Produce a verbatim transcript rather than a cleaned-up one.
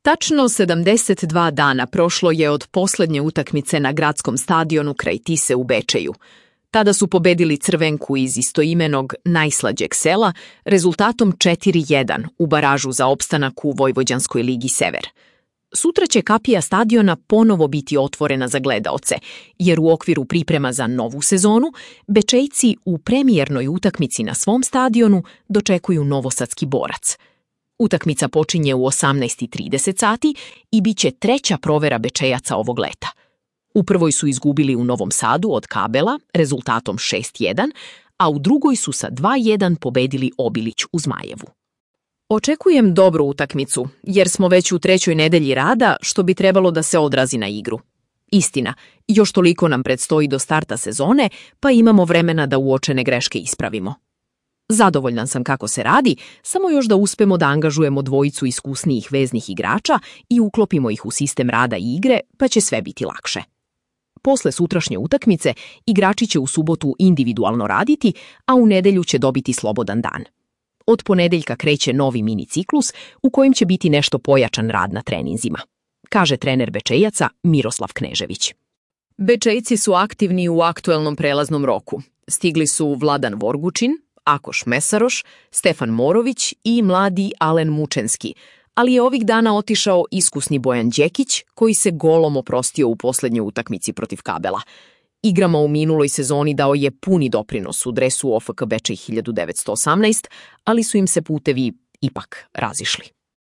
Tačno sedamdeset dva dana prošlo je od poslednje utakmice na gradskom stadionu kraj Tise u Bečeju. Tada su pobedili Crvenku iz istoimenog najslađeg sela rezultatom četiri jedan u baražu za opstanak u Vojvođanskoj ligi Sever. Sutra će kapija stadiona ponovo biti otvorena za gledaoce, jer u okviru priprema za novu sezonu Bečejci u premijernoj utakmici na svom stadionu dočekuju novosadski Borac. Utakmica počinje u osamnaest i trideset sati i bit će treća provera Bečejaca ovog leta. U prvoj su izgubili u Novom Sadu od Kabela rezultatom šest jedan, a u drugoj su sa dva jedan pobedili Obilić u Zmajevu. Očekujem dobru utakmicu, jer smo već u trećoj nedelji rada, što bi trebalo da se odrazi na igru. Istina, još toliko nam predstoji do starta sezone, pa imamo vremena da uočene greške ispravimo. Zadovoljan sam kako se radi, samo još da uspemo da angažujemo dvojicu iskusnijih veznih igrača i uklopimo ih u sistem rada i igre, pa će sve biti lakše. Posle sutrašnje utakmice, igrači će u subotu individualno raditi, a u nedelju će dobiti slobodan dan. Od ponedeljka kreće novi mini ciklus u kojem će biti nešto pojačan rad na treninzima, kaže trener Bečejaca Miroslav Knežević. Bečejci su aktivni u aktuelnom prelaznom roku. Stigli su Vladan Vorgučin, Akoš Mesaroš, Stefan Morović i mladi Alen Mučenski, ali je ovih dana otišao iskusni Bojan Đekić, koji se golom oprostio u poslednjoj utakmici protiv Kabela. Igrama u minuloj sezoni dao je puni doprinos u dresu O F K Bečej hiljadu devetsto osamnaest, ali su im se putevi ipak razišli.